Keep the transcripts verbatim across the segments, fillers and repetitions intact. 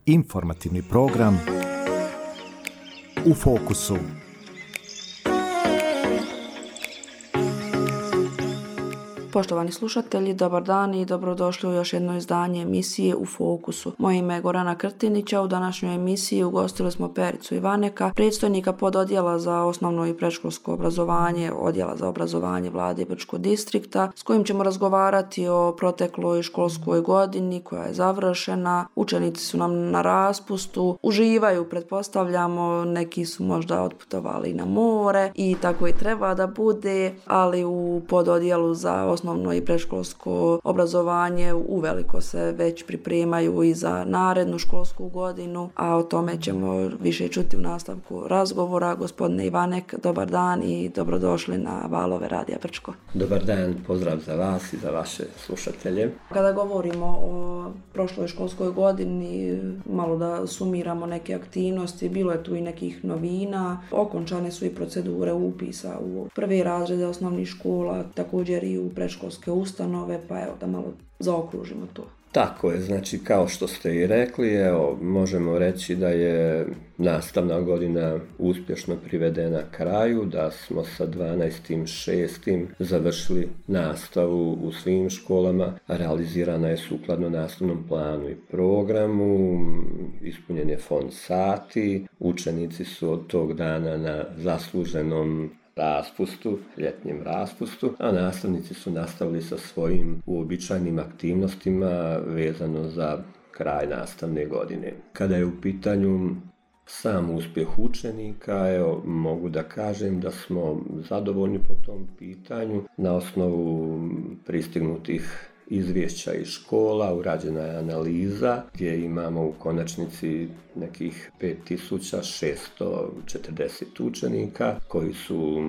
Informativni program U fokusu. Poštovani slušatelji, dobar dan i dobrodošli u još jedno izdanje emisije U fokusu. Moje ime je Gorana Krtinića. U današnjoj emisiji ugostili smo Pericu Ivaneka, predstojnika pododjela za osnovno i predškolsko obrazovanje, odjela za obrazovanje Vlade Brčkog distrikta, s kojim ćemo razgovarati o protekloj školskoj godini koja je završena. Učenici su nam na raspustu, uživaju, pretpostavljamo, neki su možda otputovali na more i tako i treba da bude, ali u pododjelu za osnovno i predškolsko obrazovanje uveliko se već pripremaju i za narednu školsku godinu, a o tome ćemo više čuti u nastavku razgovora. Gospodine Ivanek, dobar dan i dobrodošli na valove Radija Brčko. Dobar dan, pozdrav za vas i za vaše slušatelje. Kada govorimo o prošloj školskoj godini, malo da sumiramo neke aktivnosti, bilo je tu i nekih novina, okončane su i procedure upisa u prve razrede osnovnih škola, također i u predškolske ustanove, pa evo da malo zaokružimo to. Tako je, znači kao što ste i rekli, evo, možemo reći da je nastavna godina uspješno privedena kraju, da smo sa dvanaestim šestim završili nastavu u svim školama, realizirana je sukladno nastavnom planu i programu, ispunjen je fond sati, učenici su od tog dana na zasluženom raspustu, ljetnjem raspustu, a nastavnici su nastavili sa svojim uobičajenim aktivnostima vezano za kraj nastavne godine. Kada je u pitanju sam uspjeh učenika, evo, mogu da kažem da smo zadovoljni po tom pitanju. Na osnovu pristignutih izvješća iz škola urađena je analiza gdje imamo u konačnici nekih pet tisuća šesto četrdeset učenika koji su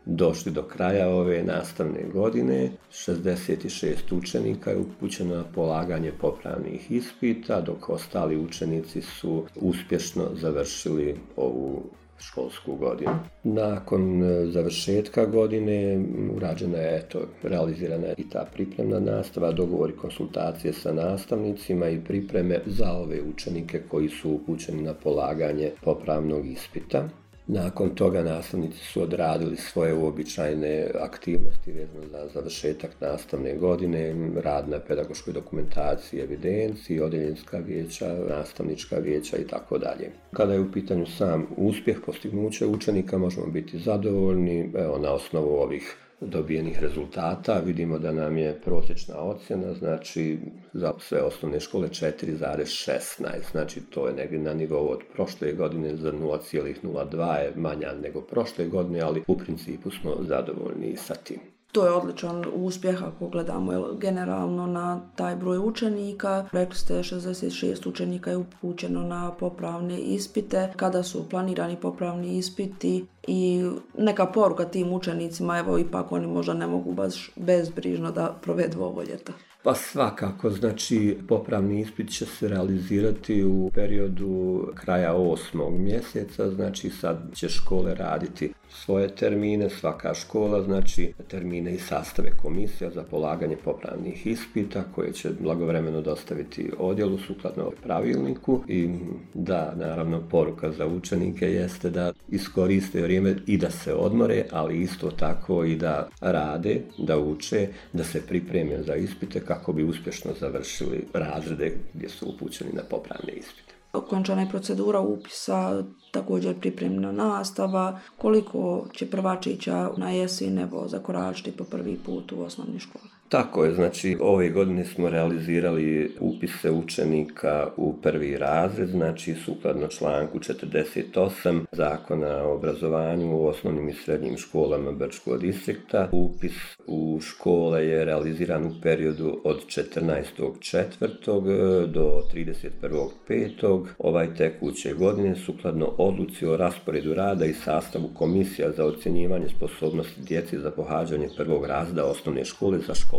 došli do kraja ove nastavne godine. šezdeset šest učenika je upućeno na polaganje popravnih ispita, dok ostali učenici su uspješno završili ovu školsku godinu. Nakon završetka godine urađena je, eto, realizirana je i ta pripremna nastava, dogovori, konsultacije sa nastavnicima i pripreme za ove učenike koji su upućeni na polaganje popravnog ispita. Nakon toga nastavnici su odradili svoje uobičajene aktivnosti vezano za završetak nastavne godine, rad na pedagoškoj dokumentaciji, evidenciji, odjeljenska vijeća, nastavnička vijeća i tako dalje. Kada je u pitanju sam uspjeh, postignuće učenika, možemo biti zadovoljni. Evo, na osnovu ovih dobijenih rezultata vidimo da nam je prosječna ocjena, znači za sve osnovne škole četiri zarez šesnaest, znači to je negdje na nivou od prošle godine, za nula zarez nula dva je manja nego prošle godine, ali u principu smo zadovoljni sa tim. To je odličan uspjeh ako gledamo generalno na taj broj učenika. Rekli ste šezdeset šest učenika je upućeno na popravne ispite. Kada su planirani popravni ispiti i neka poruka tim učenicima, evo ipak oni možda ne mogu baš bezbrižno da provedu ovo ljeto? Pa svakako, znači popravni ispit će se realizirati u periodu kraja osmog mjeseca, znači sad će škole raditi svoje termine, svaka škola, znači termine i sastave komisija za polaganje popravnih ispita koje će blagovremeno dostaviti odjelu sukladno pravilniku. I da, naravno, poruka za učenike jeste da iskoriste vrijeme i da se odmore, ali isto tako i da rade, da uče, da se pripreme za ispite kako bi uspješno završili razrede gdje su upućeni na popravne ispite. Okončana je procedura upisa, također pripremna nastava. Koliko će prvačića na jesen evo zakoračiti po prvi put u osnovne škole? Tako je, znači ove godine smo realizirali upise učenika u prvi razred, znači sukladno članku četrdeset osam Zakona o obrazovanju u osnovnim i srednjim školama Brčkog distrikta. Upis u škole je realiziran u periodu od četrnaestog četvrtog do trideset prvog petog ovaj tekuće godine sukladno odluci o rasporedu rada i sastavu komisija za ocjenjivanje sposobnosti djece za pohađanje prvog razreda osnovne škole za školsku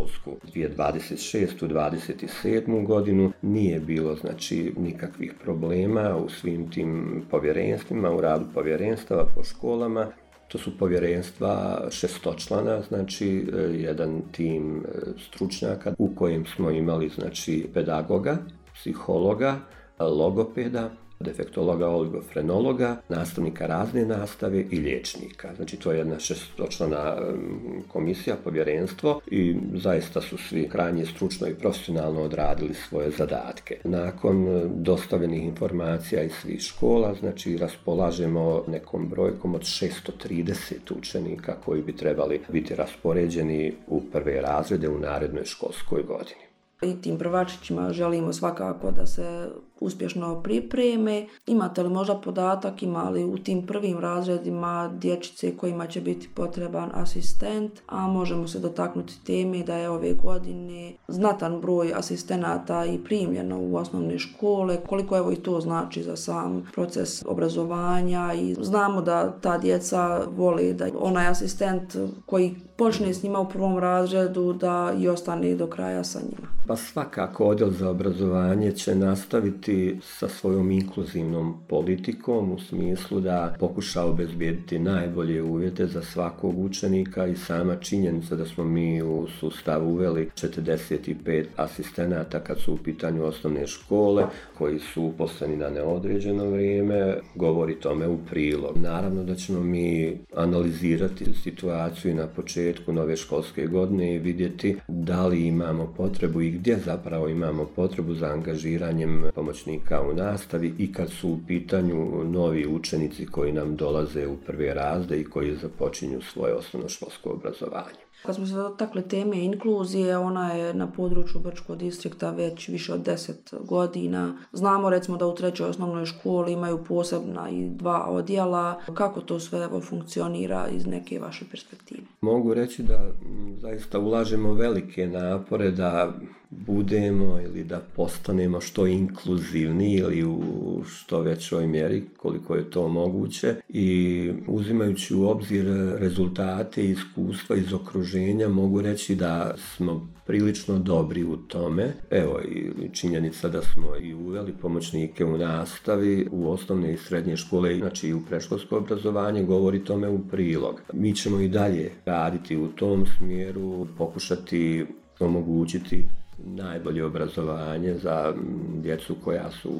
dvije tisuće dvadeset šestu dvadeset sedmu godinu. Nije bilo, znači, nikakvih problema u svim tim povjerenstvima, u radu povjerenstava po školama. To su povjerenstva šestočlana, znači jedan tim stručnjaka u kojem smo imali, znači, pedagoga, psihologa, logopeda, defektologa, oligofrenologa, nastavnika razne nastave i liječnika. Znači to je jedna šestočlana komisija, povjerenstvo i zaista su svi krajnje stručno i profesionalno odradili svoje zadatke. Nakon dostavljenih informacija iz svih škola, znači raspolažemo nekom brojkom od šesto trideset učenika koji bi trebali biti raspoređeni u prve razrede u narednoj školskoj godini. I tim prvačićima želimo svakako da se uspješno pripreme. Imate li možda podatak, ima li u tim prvim razredima dječice kojima će biti potreban asistent, a možemo se dotaknuti teme da je ove godine znatan broj asistenata i primljeno u osnovne škole, koliko evo i to znači za sam proces obrazovanja i znamo da ta djeca vole da onaj asistent koji počne s njima u prvom razredu da i ostane do kraja sa njima. Pa svakako odjel za obrazovanje će nastaviti sa svojom inkluzivnom politikom u smislu da pokuša obezbijediti najbolje uvjete za svakog učenika i sama činjenica da smo mi u sustav uveli četrdeset pet asistenata kad su u pitanju osnovne škole koji su uposleni na neodređeno vrijeme govori tome u prilog. Naravno da ćemo mi analizirati situaciju na početku nove školske godine i vidjeti da li imamo potrebu i gdje zapravo imamo potrebu za angažiranjem pomoćnika u nastavi i kad su u pitanju novi učenici koji nam dolaze u prve razrede i koji započinju svoje osnovnoškolsko obrazovanje. Kad smo se dotakli teme inkluzije, ona je na području Brčkog distrikta već više od deset godina. Znamo recimo da u trećoj osnovnoj školi imaju posebna i dva odjela. Kako to sve evo funkcionira iz neke vaše perspektive? Mogu reći da zaista ulažemo velike napore da budemo ili da postanemo što inkluzivniji ili u što većoj mjeri koliko je to moguće i uzimajući u obzir rezultate i iskustva iz okruženja mogu reći da smo prilično dobri u tome. Evo i činjenica da smo i uveli pomoćnike u nastavi u osnovne i srednje škole, znači i u predškolsko obrazovanje govori tome u prilog. Mi ćemo i dalje raditi u tom smjeru, pokušati omogućiti najbolje obrazovanje za djecu koja su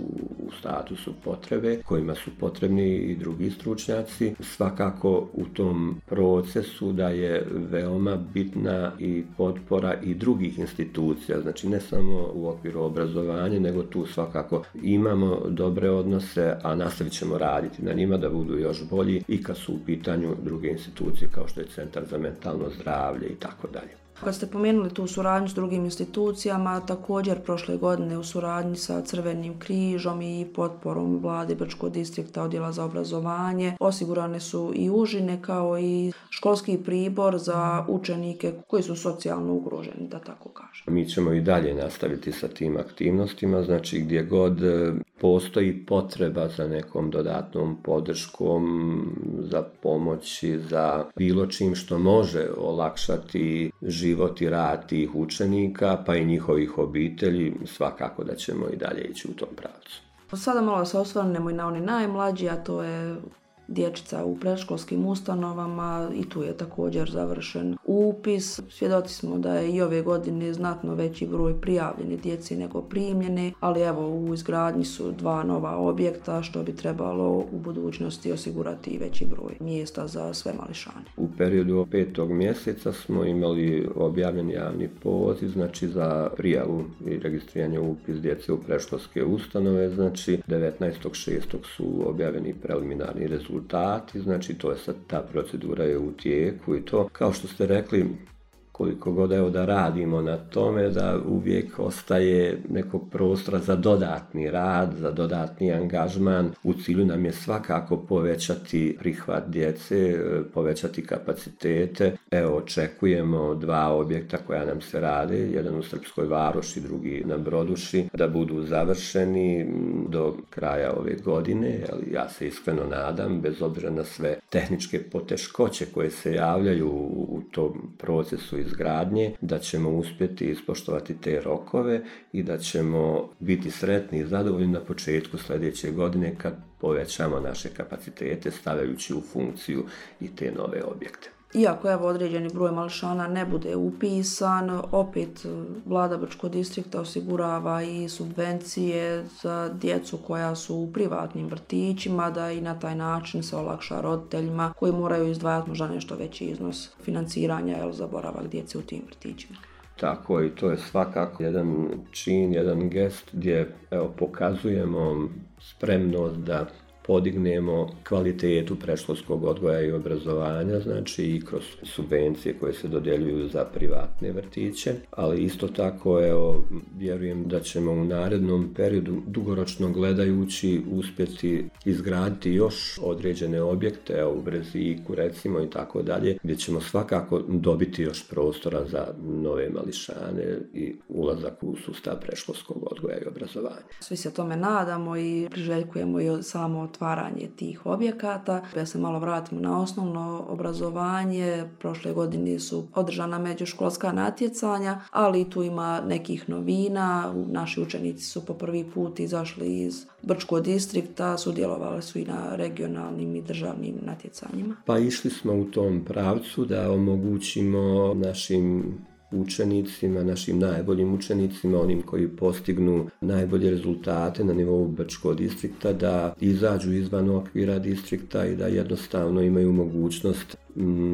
u statusu potrebe, kojima su potrebni i drugi stručnjaci. Svakako u tom procesu da je veoma bitna i potpora i drugih institucija, znači ne samo u okviru obrazovanja, nego tu svakako imamo dobre odnose, a nastavit ćemo raditi na njima da budu još bolji i kad su u pitanju druge institucije kao što je Centar za mentalno zdravlje i tako dalje. Kad ste pomenuli tu suradnju s drugim institucijama, također prošle godine u suradnji sa Crvenim križom i potporom vlade Brčkog distrikta odjela za obrazovanje osigurane su i užine kao i školski pribor za učenike koji su socijalno ugroženi, da tako kažem. Mi ćemo i dalje nastaviti sa tim aktivnostima, znači gdje god postoji potreba za nekom dodatnom podrškom, za pomoći, za bilo čim što može olakšati život i rad tih učenika, pa i njihovih obitelji, svakako da ćemo i dalje ići u tom pravcu. Sada malo se osvrnemo i na oni najmlađi, a to je dječica u predškolskim ustanovama i tu je također završen upis. Svjedoci smo da je i ove godine znatno veći broj prijavljene djece nego primljene, ali evo u izgradnji su dva nova objekta što bi trebalo u budućnosti osigurati i veći broj mjesta za sve mališane. U periodu petog mjeseca smo imali objavljen javni poziv, znači za prijavu i registriranje upis djece u predškolske ustanove, znači devetnaestog šestog su objavljeni preliminarni rezultati. Znači to je sad, ta procedura je u tijeku i to, kao što ste rekli, koliko god evo da radimo na tome, da uvijek ostaje nekog prostora za dodatni rad, za dodatni angažman. U cilju nam je svakako povećati prihvat djece, povećati kapacitete. Evo, očekujemo dva objekta koja nam se rade, jedan u Srpskoj Varoši, drugi na Broduši, da budu završeni do kraja ove godine, ali ja se iskreno nadam, bez obzira na sve tehničke poteškoće koje se javljaju u tom procesu izgradnje, da ćemo uspjeti ispoštovati te rokove i da ćemo biti sretni i zadovoljni na početku sljedeće godine kad povećamo naše kapacitete stavljajući u funkciju i te nove objekte. Iako evo određeni broj mališana ne bude upisan, opet vlada Brčkog distrikta osigurava i subvencije za djecu koja su u privatnim vrtićima, da i na taj način se olakša roditeljima koji moraju izdvajati možda nešto veći iznos financiranja jel, za boravak djece u tim vrtićima. Tako i to je svakako jedan čin, jedan gest gdje evo, pokazujemo spremnost da podignemo kvalitetu predškolskog odgoja i obrazovanja, znači i kroz subvencije koje se dodjeljuju za privatne vrtiće, ali isto tako evo, vjerujem da ćemo u narednom periodu dugoročno gledajući uspjeti izgraditi još određene objekte, evo, u Breziku recimo i tako dalje, gdje ćemo svakako dobiti još prostora za nove mališane i ulazak u sustav predškolskog odgoja i obrazovanja. Svi se tome nadamo i priželjkujemo i samo otvaranje tih objekata. Ja se malo vratimo na osnovno obrazovanje. Prošle godine su održana međuškolska natjecanja, ali tu ima nekih novina. Naši učenici su po prvi put izašli iz Brčkog distrikta, sudjelovali su i na regionalnim i državnim natjecanjima. Pa išli smo u tom pravcu da omogućimo našim učenicima, našim najboljim učenicima, onim koji postignu najbolje rezultate na nivou Brčkog distrikta, da izađu izvan okvira distrikta i da jednostavno imaju mogućnost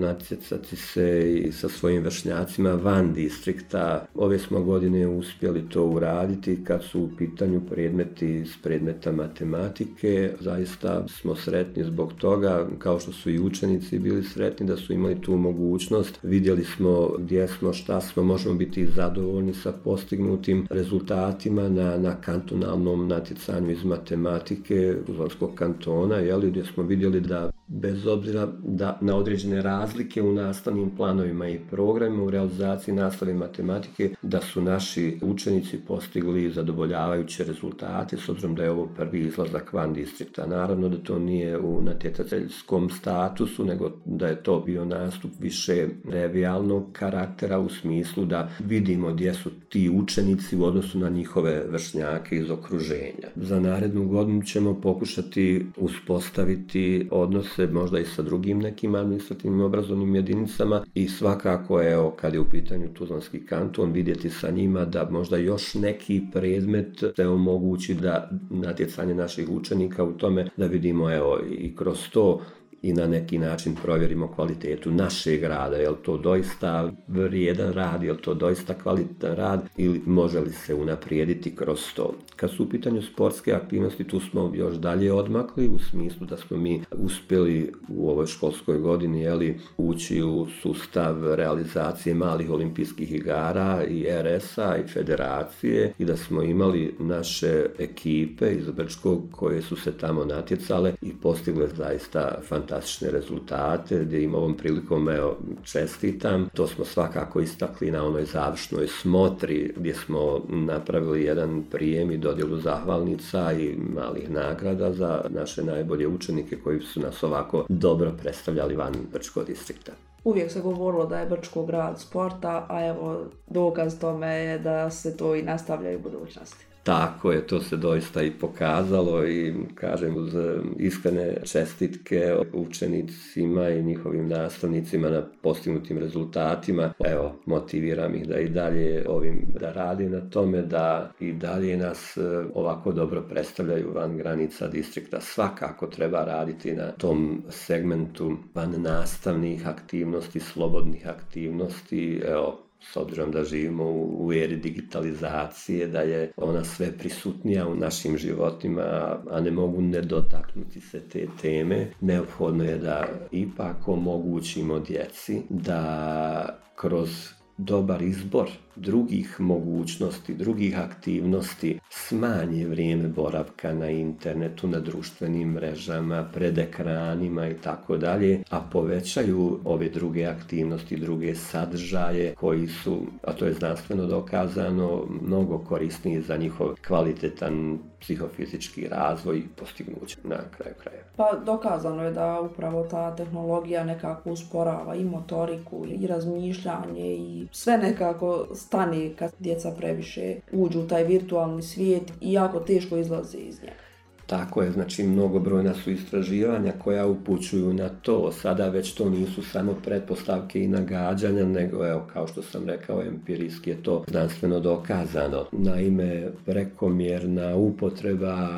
natjecati se i sa svojim vršnjacima van distrikta. Ove smo godine uspjeli to uraditi kad su u pitanju predmeti iz predmeta matematike. Zaista smo sretni zbog toga, kao što su i učenici bili sretni da su imali tu mogućnost. Vidjeli smo gdje smo, šta smo, možemo biti zadovoljni sa postignutim rezultatima na, na kantonalnom natjecanju iz matematike Tuzlanskog kantona, jeli, gdje smo vidjeli da bez obzira da na određene razlike u nastavnim planovima i programima u realizaciji nastave matematike, da su naši učenici postigli zadovoljavajuće rezultate, s obzirom da je ovo prvi izlazak van distrikta. Naravno da to nije u natjecateljskom statusu, nego da je to bio nastup više revijalnog karaktera u smislu da vidimo gdje su ti učenici u odnosu na njihove vršnjake iz okruženja. Za narednu godinu ćemo pokušati uspostaviti odnose možda i sa drugim nekim administrativnim obrazovnim jedinicama i svakako, evo, kad je u pitanju Tuzlanski kanton, vidjeti sa njima da možda još neki predmet se omogući da natjecanje naših učenika u tome, da vidimo, evo, i kroz to i na neki način provjerimo kvalitetu našeg rada, je li to doista vrijedan rad, je li to doista kvalitetan rad ili može li se unaprijediti kroz to. Kad su u pitanju sportske aktivnosti, tu smo još dalje odmakli u smislu da smo mi uspjeli u ovoj školskoj godini, je li, ući u sustav realizacije malih olimpijskih igara i er es a i federacije i da smo imali naše ekipe iz Brčkog koje su se tamo natjecale i postigle zaista fantastične fantastične rezultate, gdje im ovom prilikom evo, čestitam. To smo svakako istakli na onoj završnoj smotri gdje smo napravili jedan prijem i dodjelu zahvalnica i malih nagrada za naše najbolje učenike koji su nas ovako dobro predstavljali van Brčkog distrikta. Uvijek se govorilo da je Brčko grad sporta, a evo dokaz tome je da se to i nastavlja u budućnosti. Tako je, to se doista i pokazalo i kažem uz iskrene čestitke učenicima i njihovim nastavnicima na postignutim rezultatima. Evo, motiviram ih da i dalje ovim da radi na tome, da i dalje nas ovako dobro predstavljaju van granica distrikta. Svakako treba raditi na tom segmentu van nastavnih aktivnosti, slobodnih aktivnosti. Evo, s obzirom da živimo u eri digitalizacije, da je ona sve prisutnija u našim životima, a ne mogu ne dotaknuti se te teme, neophodno je da ipak omogućimo djeci da kroz dobar izbor drugih mogućnosti, drugih aktivnosti smanje vrijeme boravka na internetu, na društvenim mrežama, pred ekranima i tako dalje, a povećaju ove druge aktivnosti, druge sadržaje koji su, a to je znanstveno dokazano, mnogo korisniji za njihov kvalitetan psihofizički razvoj i postignuće na kraju kraja. Pa dokazano je da upravo ta tehnologija nekako usporava i motoriku i razmišljanje i sve nekako stane kad djeca previše uđu u taj virtualni svijet i jako teško izlaze iz njega. Tako je, znači mnogobrojna su istraživanja koja upućuju na to. Sada već to nisu samo pretpostavke i nagađanja, nego evo, kao što sam rekao, empirijski je to znanstveno dokazano. Naime, prekomjerna upotreba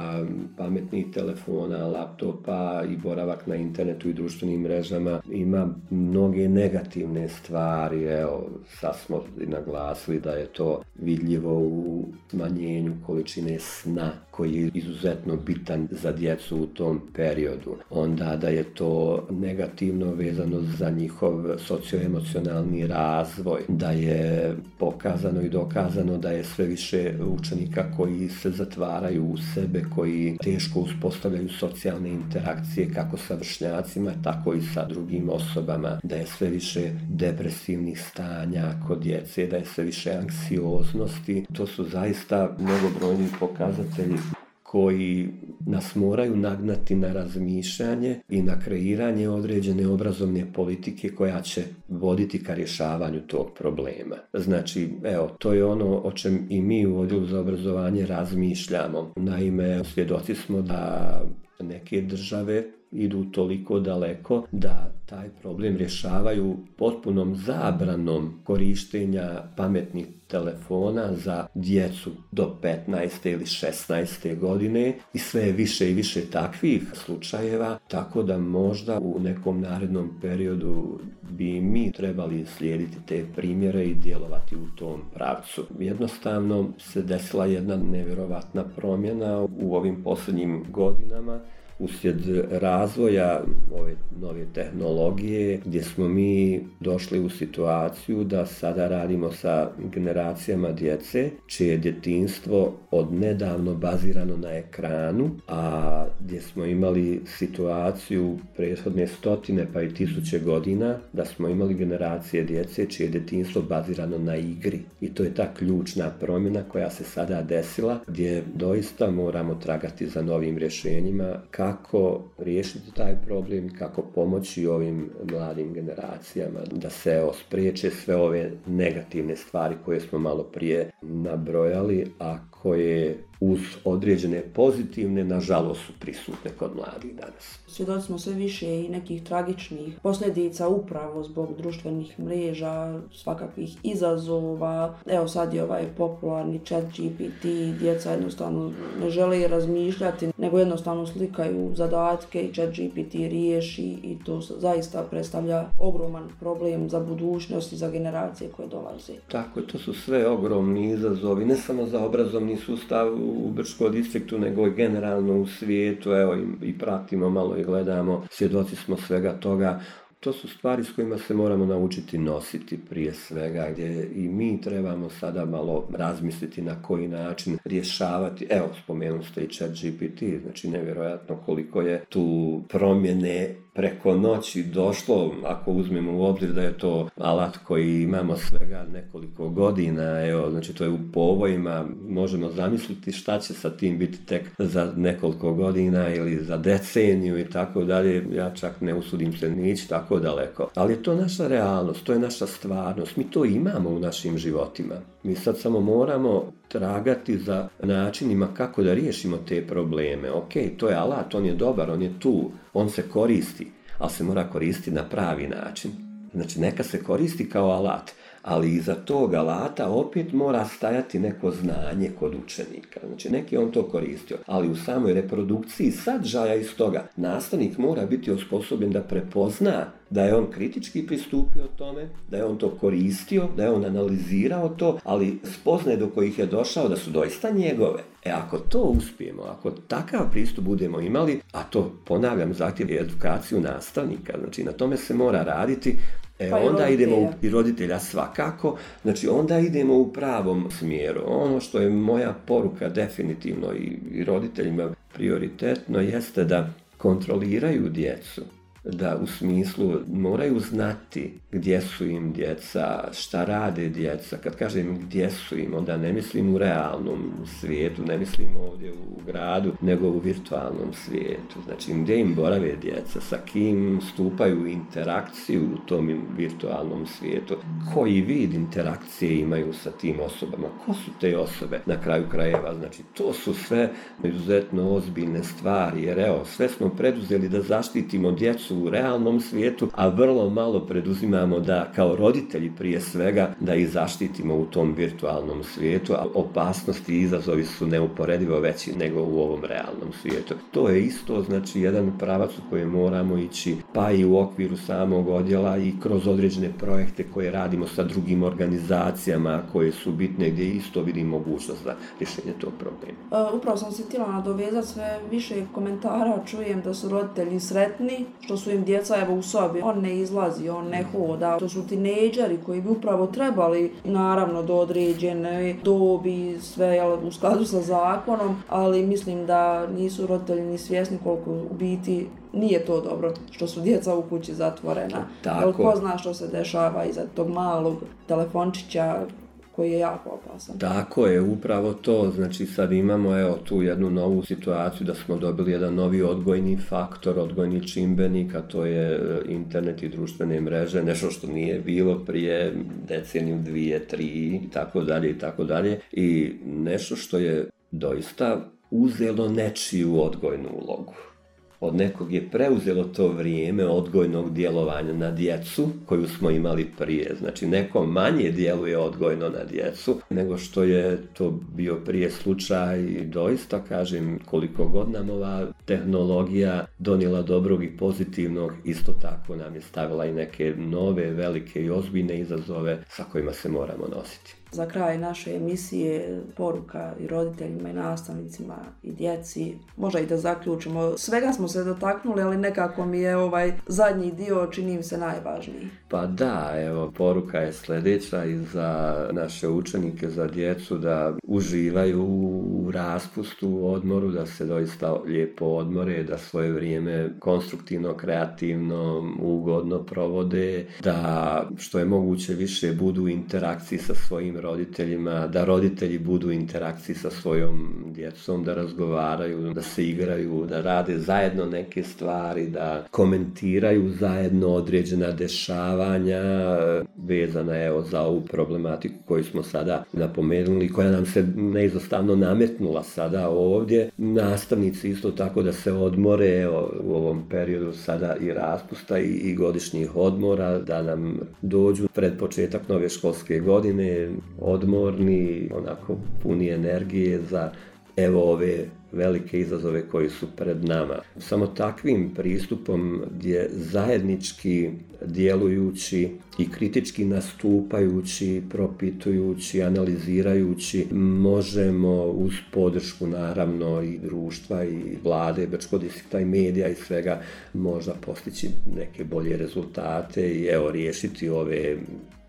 pametnih telefona, laptopa i boravak na internetu i društvenim mrežama ima mnoge negativne stvari. Evo, sad smo naglasili da je to vidljivo u smanjenju količine sna koji je izuzetno bitan za djecu u tom periodu. Onda da je to negativno vezano za njihov socioemocionalni razvoj, da je pokazano i dokazano da je sve više učenika koji se zatvaraju u sebe, koji teško uspostavljaju socijalne interakcije kako sa vršnjacima, tako i sa drugim osobama, da je sve više depresivnih stanja kod djece, da je sve više anksioznosti. To su zaista mnogobrojni pokazatelji koji nas moraju nagnati na razmišljanje i na kreiranje određene obrazovne politike koja će voditi ka rješavanju tog problema. Znači, evo, to je ono o čem i mi u Odjelu za obrazovanje razmišljamo. Naime, svjedoci smo da neke države idu toliko daleko da taj problem rješavaju potpunom zabranom korištenja pametnih telefona za djecu do petnaeste ili šesnaeste godine i sve je više i više takvih slučajeva, tako da možda u nekom narednom periodu bi mi trebali slijediti te primjere i djelovati u tom pravcu. Jednostavno se desila jedna nevjerovatna promjena u ovim posljednjim godinama uslijed razvoja ove nove tehnologije, gdje smo mi došli u situaciju da sada radimo sa generacijama djece čije je djetinjstvo od nedavno bazirano na ekranu, a gdje smo imali situaciju prethodne stotine pa i tisuće godina da smo imali generacije djece čije je djetinjstvo bazirano na igri. I to je ta ključna promjena koja se sada desila, gdje doista moramo tragati za novim rješenjima kako riješiti taj problem i kako pomoći ovim mladim generacijama da se spriječe sve ove negativne stvari koje smo malo prije nabrojali, a koje uz određene pozitivne, nažalost, su prisutne kod mladih danas. Svjedoci smo sve više i nekih tragičnih posljedica upravo zbog društvenih mreža, svakakvih izazova. Evo sad je ovaj popularni chat G P T, djeca jednostavno ne žele razmišljati, nego jednostavno slikaju zadatke i chat G P T riješi i to zaista predstavlja ogroman problem za budućnost i za generacije koje dolaze. Tako, to su sve ogromni izazovi, ne samo za obrazovni sustav u Brčkom distriktu, nego i generalno u svijetu. Evo i, i pratimo malo i gledamo, svjedoci smo svega toga. To su stvari s kojima se moramo naučiti nositi prije svega, gdje i mi trebamo sada malo razmisliti na koji način rješavati. Evo, spomenuli ste i chat G P T, znači nevjerojatno koliko je tu promjene preko noći došlo, ako uzmemo u obzir da je to alat koji imamo svega nekoliko godina, evo, znači to je u povojima, možemo zamisliti šta će sa tim biti tek za nekoliko godina ili za deceniju i tako dalje, ja čak ne usudim se ni ići tako daleko. Ali je to naša realnost, to je naša stvarnost, mi to imamo u našim životima. Mi sad samo moramo tragati za načinima kako da riješimo te probleme. Ok, to je alat, on je dobar, on je tu, on se koristi, ali se mora koristiti na pravi način. Znači, neka se koristi kao alat, ali iza tog alata opet mora stajati neko znanje kod učenika. Znači, neki on to koristio, ali u samoj reprodukciji sadržaja iz toga nastavnik mora biti osposobljen da prepozna da je on kritički pristupio tome, da je on to koristio, da je on analizirao to, ali spoznaje do kojih je došao da su doista njegove. E ako to uspijemo, ako takav pristup budemo imali, a to, ponavljam, zahtjeva edukaciju nastavnika, znači na tome se mora raditi, E, pa onda idemo u, i roditelja svakako, znači onda idemo u pravom smjeru. Ono što je moja poruka definitivno i, i roditeljima prioritetno jeste da kontroliraju djecu. da u smislu moraju znati gdje su im djeca, šta rade djeca. Kad kažem gdje su im, onda ne mislim u realnom svijetu, ne mislim ovdje u gradu, nego u virtualnom svijetu. Znači gdje im borave djeca, sa kim stupaju u interakciju u tom virtualnom svijetu, koji vid interakcije imaju sa tim osobama, ko su te osobe na kraju krajeva. Znači to su sve izuzetno ozbiljne stvari, jer evo, sve smo preduzeli da zaštitimo djecu u realnom svijetu, a vrlo malo preduzimamo da kao roditelji prije svega da ih zaštitimo u tom virtualnom svijetu, a opasnosti i izazovi su neuporedivo veći nego u ovom realnom svijetu. To je isto znači jedan pravac u kojem moramo ići, pa i u okviru samog odjela i kroz određene projekte koje radimo sa drugim organizacijama koje su bitne, gdje isto vidim mogućnost za rješenje tog problema. Uh, upravo sam se htjela nadovezati, sve više komentara čujem da su roditelji sretni što su im djeca evo u sobi, on ne izlazi, on ne hoda, to su tinejdžeri koji bi upravo trebali naravno do određene dobi sve jel, u skladu sa zakonom, ali mislim da nisu roditelji ni svjesni koliko u biti nije to dobro što su djeca u kući zatvorena. Jel ko zna što se dešava iza tog malog telefončića koji je jako opasan. Tako je, upravo to. Znači sad imamo evo tu jednu novu situaciju da smo dobili jedan novi odgojni faktor, odgojni čimbenik, a to je internet i društvene mreže, nešto što nije bilo prije deceniju, dvije, tri i tako dalje i tako dalje. I nešto što je doista uzelo nečiju odgojnu ulogu. Od nekog je preuzelo to vrijeme odgojnog djelovanja na djecu koju smo imali prije. Znači neko manje djeluje odgojno na djecu nego što je to bio prije slučaj i doista kažem koliko god nam ova tehnologija donijela dobrog i pozitivnog, isto tako nam je stavila i neke nove, velike i ozbiljne izazove sa kojima se moramo nositi. Za kraj naše emisije poruka i roditeljima i nastavnicima i djeci, možda i da zaključimo. Svega smo se dotaknuli, ali nekako mi je ovaj zadnji dio čini mi se najvažniji. Pa da, evo, poruka je sljedeća i za naše učenike, za djecu da uživaju u raspustu, u odmoru, da se doista lijepo odmore, da svoje vrijeme konstruktivno, kreativno, ugodno provode, da što je moguće više budu u interakciji sa svojim roditeljima, da roditelji budu u interakciji sa svojom djecom, da razgovaraju, da se igraju, da rade zajedno neke stvari, da komentiraju zajedno određena dešavanja vezana evo za ovu problematiku koju smo sada napomenuli, koja nam se neizostavno nametnula sada ovdje. Nastavnici isto tako da se odmore evo, u ovom periodu sada i raspusta i, i godišnjih odmora, da nam dođu pred početak nove školske godine odmorni, onako puni energije za evo ove velike izazove koji su pred nama. Samo takvim pristupom gdje zajednički djelujući i kritički nastupajući, propitujući, analizirajući, možemo uz podršku naravno i društva i vlade, Brčkog distrikta i medija i svega možda postići neke bolje rezultate i evo riješiti ove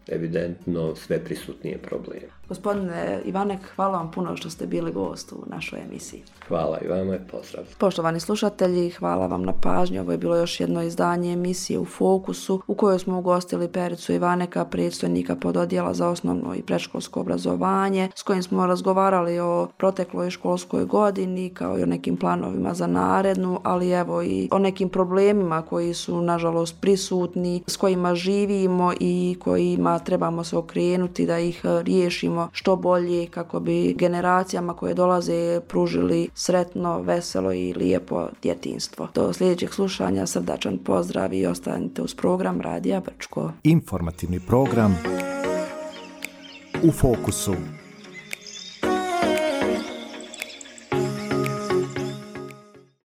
evidentno sve prisutnije probleme. Gospodine Ivanek, hvala vam puno što ste bili gost u našoj emisiji. Hvala i vama i pozdrav. Poštovani slušatelji, hvala vam na pažnji. Ovo je bilo još jedno izdanje emisije U fokusu u kojoj smo ugostili Pericu Ivaneka, predstojnika pododjela za osnovno i predškolsko obrazovanje, s kojim smo razgovarali o protekloj školskoj godini kao i o nekim planovima za narednu, ali evo i o nekim problemima koji su nažalost prisutni, s kojima živimo i kojima trebamo se okrenuti da ih riješimo što bolje kako bi generacijama koje dolaze pružili sretno, veselo i lijepo djetinjstvo. Do sljedećeg slušanja srdačan pozdrav i ostanite uz program Radija Brčko. Informativni program U fokusu.